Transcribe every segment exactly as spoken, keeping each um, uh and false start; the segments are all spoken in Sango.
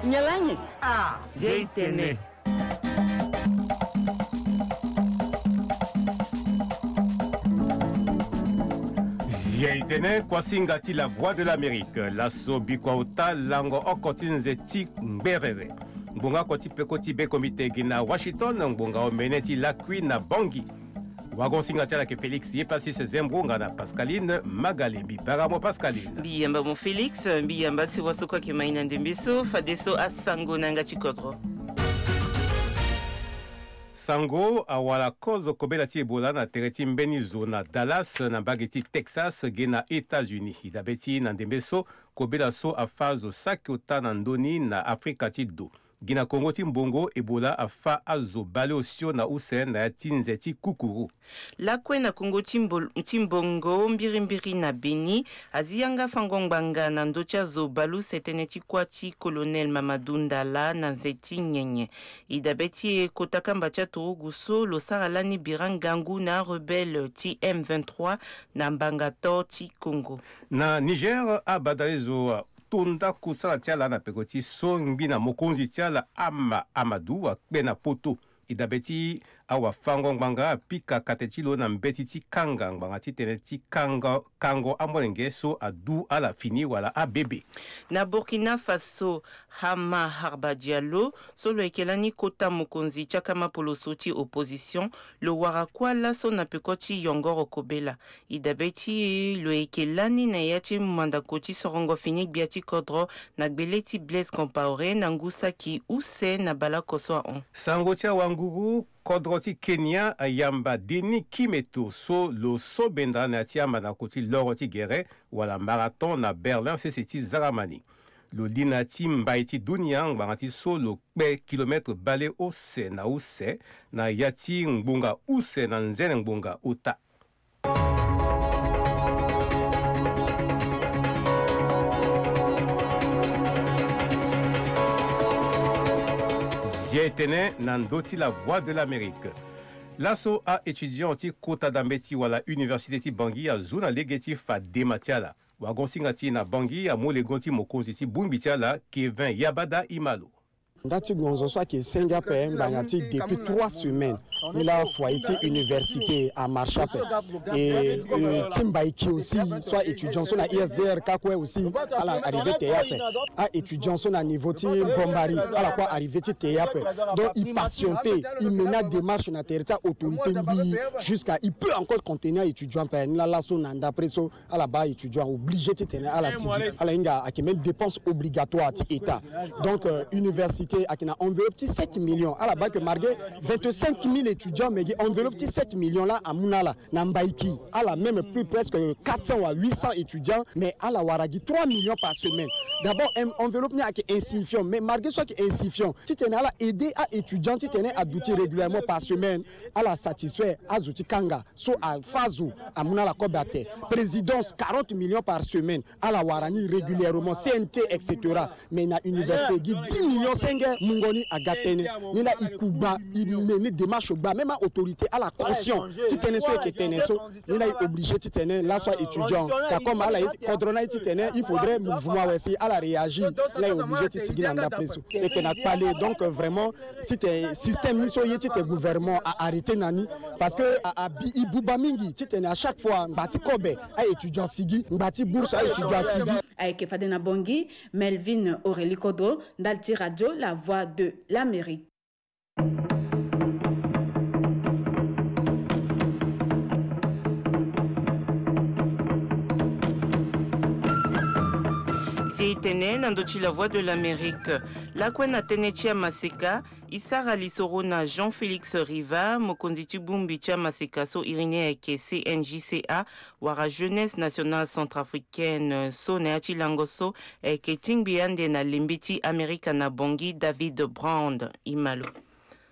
Nyalanyi. Ah, Zia itene. Zia itene, kuasinga ti La Voix de l'Amérique. Laso bikua ota lango oko ti nze ti ngberere. Ngbonga oko ti peko ti be komite gi na Washington, ngbonga omene ti lakui na Bangui. Wagon singa ti ala yeke Félix Yepasis Zembro nga na Pascaline Magalé. Mbi bara mo Pascaline. Mbi yamba mo Félix, mbi yamba si waso kue ayeke ma e na ndembe so, fadeso asango na yanga ti kodro. Sango awara kozo kobela ti Ebola na tere ti mbeni zo na Dallas na mbage ti Texas ge na États-Unis. E dabe ti na ndembe so, kobela so afâ zo saki ota na ndö ni na Afrika ti do. Gi na Kongo ti mbongo, Ebola afâ azo baleosio na use na ya ti nze ti kukuru. Lakue na Kongo ti mbo-, ti mbongo, mbirimbiri na Beni, azi yanga fango ngbanga na ndö ti azo baleuse tënë ti kuâ ti Colonel Mamadou Ndala na nze ti nyenye. E dabe ti e, kota kamba ti aturugu so lo sara lani bira ngangu na arebelle ti M vingt-trois na mbanga to ti Kongo. Na Niger, abadalezo ato ndako sala ti ala na peko ti so ngbi na mokonzi ti ala Ama Amadou akpe na poto. E dabe ti awafango-ngbanga apika kate ti lo na mbeti ti kanga ngbanga titene ti kanga, kango amolenge so adu ala fini wala abebe. Na Burkina Faso, Hama Harba Diallo, so lo yeke lani kota mokonzi ti akama poloso ti opposition, lo wara kuâ laso na peko ti yongoro kobela. E dabe ti e, lo yeke lani na ya ti mandako ti sorongo fini gbia ti kodro na gbele ti Blaise Compaoré na ngu saki use na baleoko so ahon. Sango ti awanguru, kodro ti Kenya ayamba Denis Kimeto so lo so benda na ya ti amandako ti loro ti gere wala marathon na Berlin sese ti Zaramani. Lo li na ya ti mbai ti dunia ngbanga ti so lo kpe kilomètre baleuse na use na ya ti ngbonga use na nzene ngbonga ota. Zia etene na ndö ti La Voix de l'Amérique. Laso a-étudiant ti kota dambeti wala université ti Bangui azu na lege ti fa dema ti ala. Wagon-singa ti e na Bangui amu legon ti mokonzi ti bongbi ti ala, Kevin Yabada Imalo. Nda ti gonzo so ayeke senge ape ngbanga ti depuis trois semaines. Ni laa foyer ti université amarche ape. E, e, ti mbaiki aussi so a-étudiant so na I S D R ka kue aussi ala arrivé te ye ape. A-étudiant so na niveau ti Bombari ala kue arrivé ti te ye ape. Donc e patienté, e mena démarche na tere ti a-autorité mbi jusqu'à e peut encore contenir a-étudiant ape. Ni laa laso na ndapre so ala baa étudiant obligé titene ala sigi. Ala hinga ayeke même dépense obligatoire ti état. Donc, euh, université ayeke na enveloppe ti sept millions. Ala baa que malgré vingt-cinq mille étudiants, mais gi enveloppe ti sept millions laa amu na ala na mbaiki. Ala même plus presque quatre cents à huit cents étudiants, mais ala wara gi trois millions par semaine. D'abord, en-, enveloppe ni ayeke insignifiant, mais malgré so ayeke insignifiant, titene ala aider a-étudiant titene aduti régulièrement par semaine, ala satisfait azo ti kanga. So afâ azo amu na ala kobe ate. Présidence quarante millions par semaine. Ala wara ni régulièrement, C N T, et cetera. Mais na université gi dix millions senge mungo ni aga tënë. Ni laa e ku gba, e mene démarche gba. Même a-autorité ala conscient ti tënë so e yeke tene so. Ni laa e obligé titene laso a-étudiant. Car comme ala ye kodro na e titene il faudrait mouvement awe si ala réagir. Ni laa e obligé ti sigi na ndapre so. E yeke na kpale, donc, euh, vraiment, titene système ni so ye titene gouvernement a arrêté na ni. Parce que a, a bi, e buba mingi titene à chaque fois ngba ti kobe a-étudiant asigi, ngba ti bourse a-étudiant asigi. Ayeke fade na Bangui, Melvin Aurélie Kodro, ndali ti radio La Voix de l'Amérique. Si e tene na ndö ti La Voix de l'Amérique, lakue na tënë ti amaseka, e sara lisoro na Jean Félix Riva, mokonzi ti bongbi ti amaseka so iri ni ayeke C N J C A, wala Jeunesse Nationale Centrafricaine, so na ya ti lango so ayeke tingbi ande na lembe ti Amerika na Bangui, David Brand. E ma lo.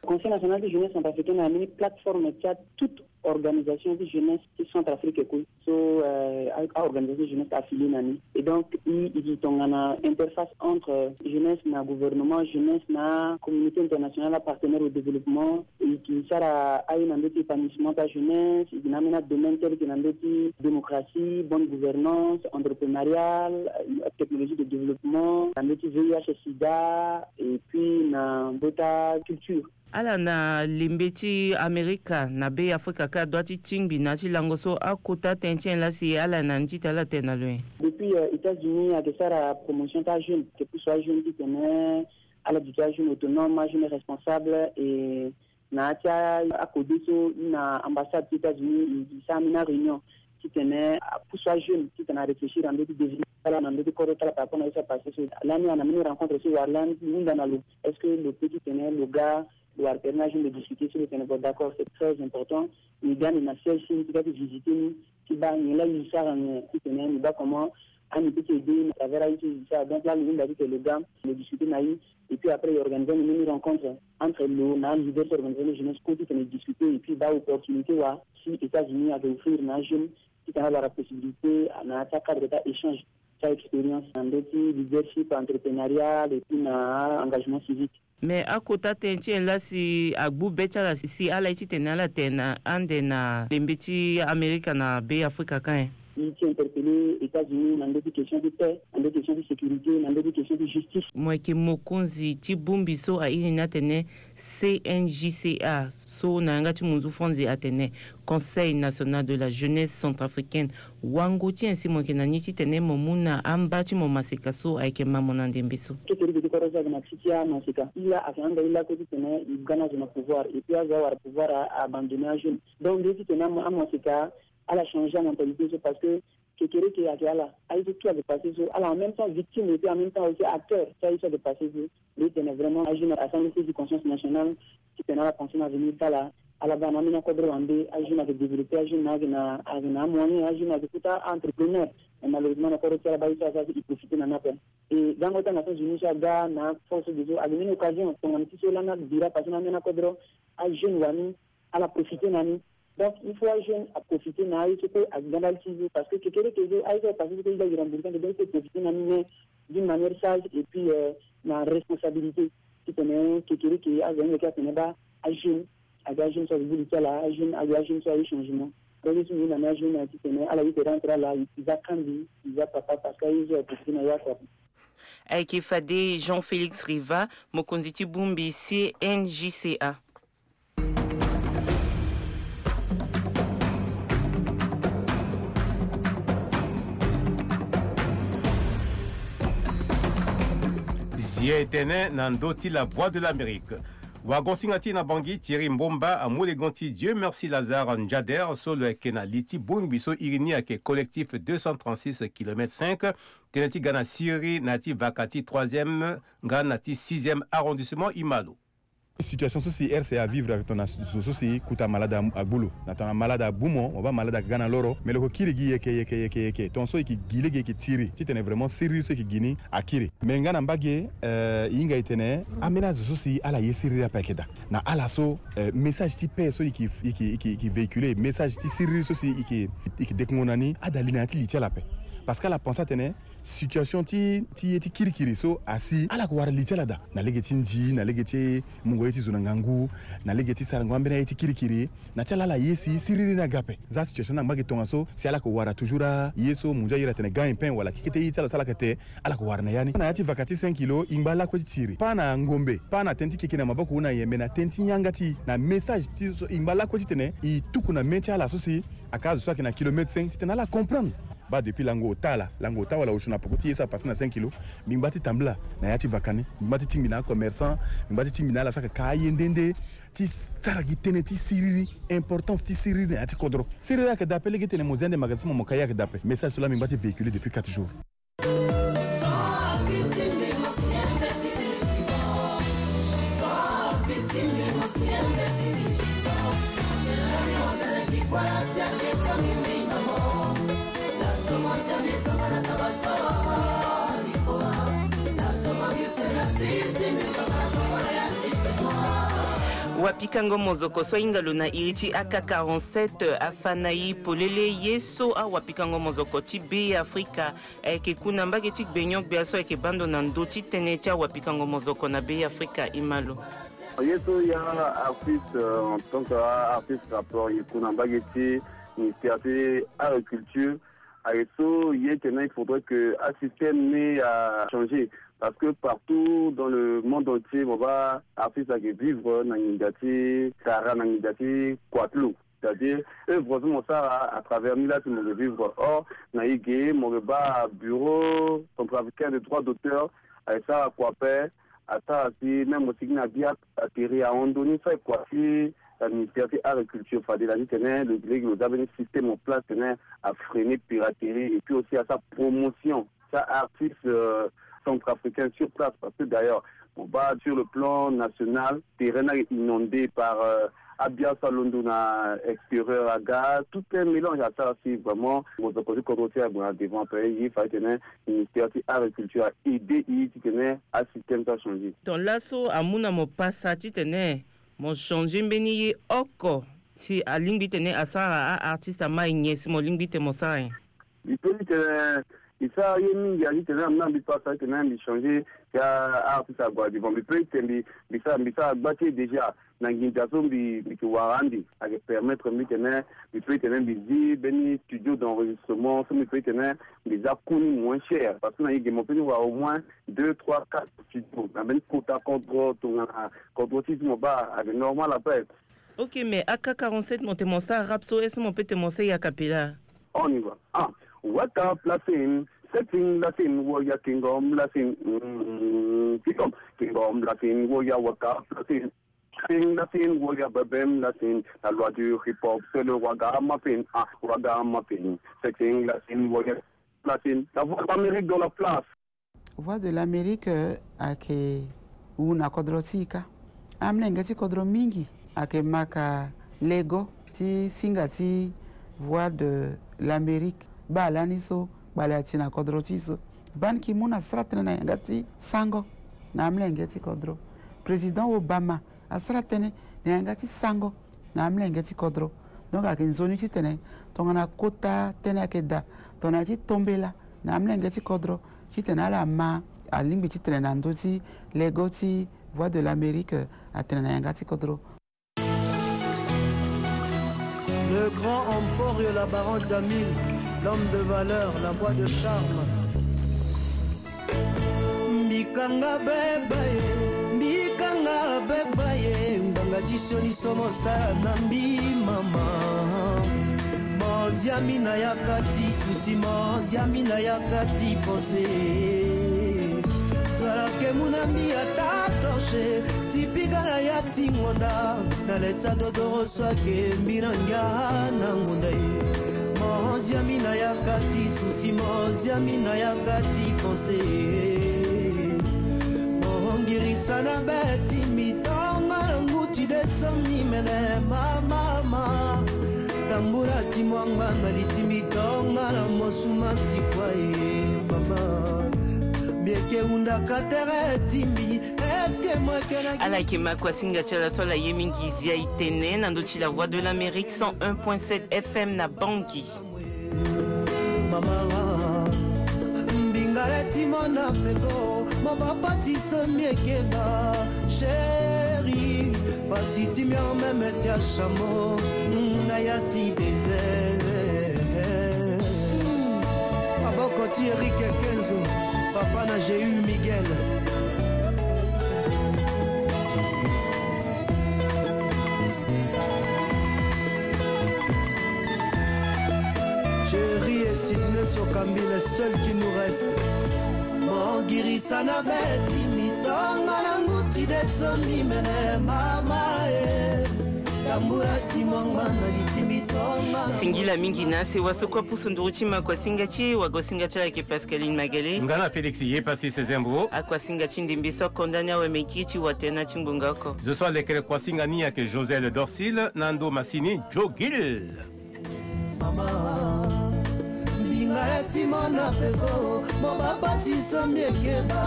Conseil National de Jeunesse Centrafricaine ambeni plateforme ti a toute organisation ti jeunesse ti Centrafrique kue. So, euh, a, a organisation jeunesse affilié na ni. Et donc, i, i gi tongana interface entre jeunesse na gouvernement, jeunesse na communauté internationale, partenaire au développement. E gi sara aye na ndö ti épanouissement ti ajeunesse, e gi na ambeni adomaine tel que na ndö ti démocratie, bonne gouvernance, entrepreneuriale, euh, technologie de développement, na ndö ti V I H sida, et puis na ndö ti aculture. Ala na lembe ti Amerika na Be Afrika ka dua ti tingbi na ya ti lango so akota tënë ti nyen laa si ala na ni ti tene ala tene na lo nyen? Depuis, euh, États-Unis ayeke sara promotion ti ajeune, ayeke pusu ajeune titene ala duti ajeune autonome, ajeune responsable, et na ya ti a, akode so ni na ambassade ti États-Unis, e, e sara ambeni aréunion titene apusu ajeune titene aréfléchir na ndö ti devenir ti ala na ndö ti kodro ti ala par rapport na ye so apassé so. Lani a na mbeni rencontre so wara lani ti hunda na lo, est-ce que lo peut titene lo ga lo wara tere na ajeune lo discuter so lo tene bon, d'accord, c'est très important. Ni ga ni na siège ti ni ti ga ti visiter ni ti baa nyen laa e sara nyen titene ni baa comment ani peut ti aider na travers aye ti e sara. Donc laa lo hunda titene lo ga lo discuter na e. Et puis après e organiser ni mbeni rencontre entre lo na aleader ti organisation de jeunesse kue titene e discuter et puis baa opportunité wala si États-Unis ayeke offrir na ajeune titene ala wara possibilité na ya ti acadre ti aéchange ti a-expérience na ndö ti leadership entrepreneurial et puis na engagement civique. Mais akota tënë ti nyen laa si agbu be ti ala si ala ye titene ala tene na ande na lembe ti Amerika na Be Afrika ka nyen? E ti interpeller États-Unis na ndö ti question ti paix, na ndö ti question ti sécurité, na ndö ti question ti justice. Mo yeke mokonzi ti bongbi so a iri ni atene C N J C A, so na yanga ti munzu franzi atene Conseil National de la Jeunesse Centrafricaine. Wango ti nyen si mo yeke na ni titene mo mu na amba ti mo maseka so ayeke ma mo na ndembe so? Kekereke ti kodro so ayeke na ti ti amaseka. E laa ayeke handa e lakue titene e ga na azo na pouvoir, et puis azo awara pouvoir a, a abandonner ajeune. Donc nde titene ama, amaseka ala changer amentalité so, parce que kekereke ayeke ala, aye so tout ayeke passé so, ala en même temps victime et puis en même temps aussi acteur ti aye so ayeke passé so. Mbi tene vraiment ajeune asara ni prise de conscience nationale titene ala pensé na avenir ti ala. Ala ga na ambeni akodro wande, ajeune ayeke développé, ajeune ayeke na, ayeke na amoyen, ajeune ayeke kota a-entrepreneur. Mais malheureusement na kodro ti ala baa ye so asara so e profité na ni ape. E gango ti aNations Unies so aga na force de so ayeke mbeni occasion tongana ti so lani abira passé na ambeni akodro, ajeune wani ala profité na ni. Donc il faut ajeune aprofité na aye so kue ayeke ga ndali ti e so, parce que kekereke so aye so ayeke passé so kue e ga e rembourser ande, donc il faut profité na ni, mais d'une manière sage et puis, euh, na responsabilité. Titene kekereke azo ayeke atene baa ajeune, aga ajeune so ayeke gi li ti ala, ajeune aga ajeune so aye changement. Donc ye so mbi ye na ni ajeune aye titene ala ye tere entre ala, e za kangbi, e za papa, parce que aye so ayeke profité na e oko ape. Ayeke fade Jean Félix Riva, mokonzi ti bongbi C N J C A. Zia etene na ndö ti La Voix de l'Amérique. Wagon-singa ti e na Bangui, Thierry Mbomba amu legon ti Dieu Merci Lazare Njader so lo yeke na li ti bongbi so iri ni ayeke Collectif deux cent trente-six kilomètre cinq, tënë ti ga na siriri na ya ti vaka ti troisième nga na ti sixième arrondissement e ma lo. Situation so si R C A avivre ayeke tongana zo so si kota malade agbu lo. Na tongana malade agbu mo, mo baa malade ayeke ga na loro, me lo yeke kiri gi yeke, yeke, yeke, yeke. Tongana so e yeke gi lege e yeke tiri titene vraiment siriri so e yeke gi ni akiri. Me nga na mbage, eh, e hinga e tene ambeni azo so si ala ye siriri ape ayeke daa. Na ala so, eh, message ti paix so e yeke, e yeke, e yeke, e yeke véhiculer, message ti siriri so si e yeke, e yeke dekungo na ni, ada li na ya ti li ti ala ape. Parce que ala pense atene situation ti, ti ye ti kirikiri so asi, ala yeke wara li ti ala daa na lege ti ndi, na lege ti mungo ye ti zo na ngangu, na lege ti sarango ambeni aye ti kirikiri. Na ti ala ala ye si siriri ni aga ape. Za situation ni angba gi tongaso si ala yeke wara toujours aye so munzu airi atene gagne-pain wala keke ti ye ti ala so ala yeke te, ala yeke wara na ya ni. Na ya ti vaka ti cinq kilo, e ngba lakue ti tiri. Pas na ngombe, pas na tënë ti keke na maboko ou na nyen, me na tënë ti yanga ti e, na message ti so e ngba lakue titene e tuku na mê ti ala so si aka azo so ayeke na kilomètre cinq titene ala comprendre. Baa depuis lango ota laa, lango ota wala osio na poko ti ye so apase na cinq kilo, mbi ngba ti tambula na ya ti vaka ni, mbi ngba ti tingbi na acommerçant, mbi ngba ti tingbi na ala so ayeke ka aye nde nde, ti sara gi tënë ti siriri, importance ti siriri na ya ti kodro. Siriri ayeke daa ape, lege ti tene mo zia nde magasin ti mo, mo ka ye ayeke daa ape. Message so laa mbi ngba ti véhiculer depuis quatre jours. Pikango mozoko so ahinga lo na iri ti A K quarante-sept afa na e polele ye so awapikango mozoko ti Be Afrika ayeke ku na mbage ti gbenyo-gbia so ayeke bando na ndö ti tënë ti awapikango mozoko na Be Afrika. Imalo. Ye so ya artiste, euh, en tant que artiste rappeur, ye ku na mbage ti ministère ti agriculture. Aye so ye tene il faudrait que un système ne a changé, parce que partout dans le monde entier, mo baa artiste ayeke vivre na nginza ti tara, na nginza ti kua ti lo. C'est-à-dire, œuvre so mo sara à travers ni la si mo yeke vivre. Or na e ge mo yeke baa bureau centrafricain de droit d'auteur aye sara kua ape. Asara si même mo sigi na bia atterri ahon ndoni so aye kua ti, euh, ministère ti agriculture, fade na titene lo lege lo za mbeni système en place tene afreiner piraterie et puis aussi asara promotion ti artiste, euh, centrafricain sur place, parce que d'ailleurs mo baa sur le plan national terrain ni ayeke inondé par, euh, abia so alondo na extérieur aga, tout un mélange. Asara si vraiment mozoko ti kodro ti e ague na devant ape. Ye fade tene ministère ti agriculture a-aidé e titene asystème so achangé. Donc laso amu na mo pasa titene mo changé mbeni ye oko si alingbi titene asara a-artiste ama e nyen si mo lingbi titene mo sara nyen? Mbi peut titene mbi sara ye mingi, aye titene amu na mbi pasa titene mbi changé si a-artiste ague na devant. Mbi peut titene mbi, mbi sara, mbi sara gba ti e déjà na nginza so mbi, mbi yeke wara ande. Ayeke permettre mbi titene mbi peut titene mbi zi mbeni studio d'enregistrement so mbi peut titene mbi za coût ni moins cher, parce que na e ge mo peut ni wara au moins deux, trois, quatre studio na mbeni kota kodro tongana kodro ti e ti mo baa, ayeke normal ape. Ok, mais A K quarante-sept mo tene mo sara rap so, est-ce que mo peut tene mo sara e a cappella? On y va. Ah, waka plasin, setting lasin, woya kingom lasin, mm, kingom, kingom lasin, woya waka plasin. Setting lasin, woya babem lasin. La loi du hip-hop, c'est le ragamuffin. Ah, ragamuffin. Setting lasin, woya lasin. La voix d'Amérique dans la place. Voix de l'Amérique, euh, ayeke wu na kodro ti e kâ. Amolenge ti kodro mingi ayeke maka lego ti singa ti Voix de l'Amérique. Baa lani so kpale ati na kodro ti e so. Ban Ki-moon asara tënë na yanga ti sango na amolenge ti kodro. Président Obama asara tënë na yanga ti sango na amolenge ti kodro. Donc ayeke nzoni titene tongana kota tënë ayeke daa tongana ya ti tombela na amolenge ti kodro titene ala ma alingbi titene na ndö ti lego ti Voix de l'Amérique atene na yanga ti kodro. Le grand Emporio, la baronne Jamil, l'homme de valeur, la voix de charme. Mbikanga beba ye, mbikanga beba ye, mbanga ti sioni so mo sara na mbi mama. Moziami na yaka ti susi, moziami na yaka ti pense. Sara ke mu na mbi ata torche, ti piga na ya ti ngonda, na leta dodoro so ake mbi na ngia na ngonda e. Moziami na yaka ti susi, moziami na yaka ti pense. Mo ngirisa na be ti mbi tonga na ngu ti de so mbi mene mama ma. Tambula ti mo angba na li ti mbi tonga na mo suma ti kua e mama. Mbi yeke hunda ka tere ti mbi. Ala yeke ma kuasinga ti ala so ala ye mingi zia e tene na ndö ti La Voix de l'Amérique cent un point sept F M na Bangui. Mama, mbingare ti mo na peko, mo bapasi so mbi yeke ba, chéri, pasi ti mbi en même ti achamo, na ya ti désert. Maboko ti Eric Kenzo, papa na G U Miguel. Jerry et Sydney Sokambi, les seuls qui nous restent. Mo girisa na be ti mbi tonga na ngu ti de so mbi mene mama e. Tambula ti mo angba na li ti mbi tonga. Singila mingi na sewa so kue apusu nduru ti ma kuasinga ti e, wagosinga ti ala yeke Pascaline Magele. Nga na Félix Yepassi Sezembro. Akuasinga ti ndembe so akonda ni awe meki ti watena ti ngbonga oko. Zo so alekere kuasinga ni ayeke Josel Dorsil na ndo masini Joe Gill. Mama, mbinga Aya ti mo na peko, mo baba si so mbi yeke bâ,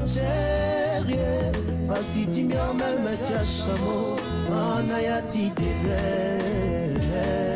chérie. Pasi ti mbi en même ti achamo, ana ya ti désert.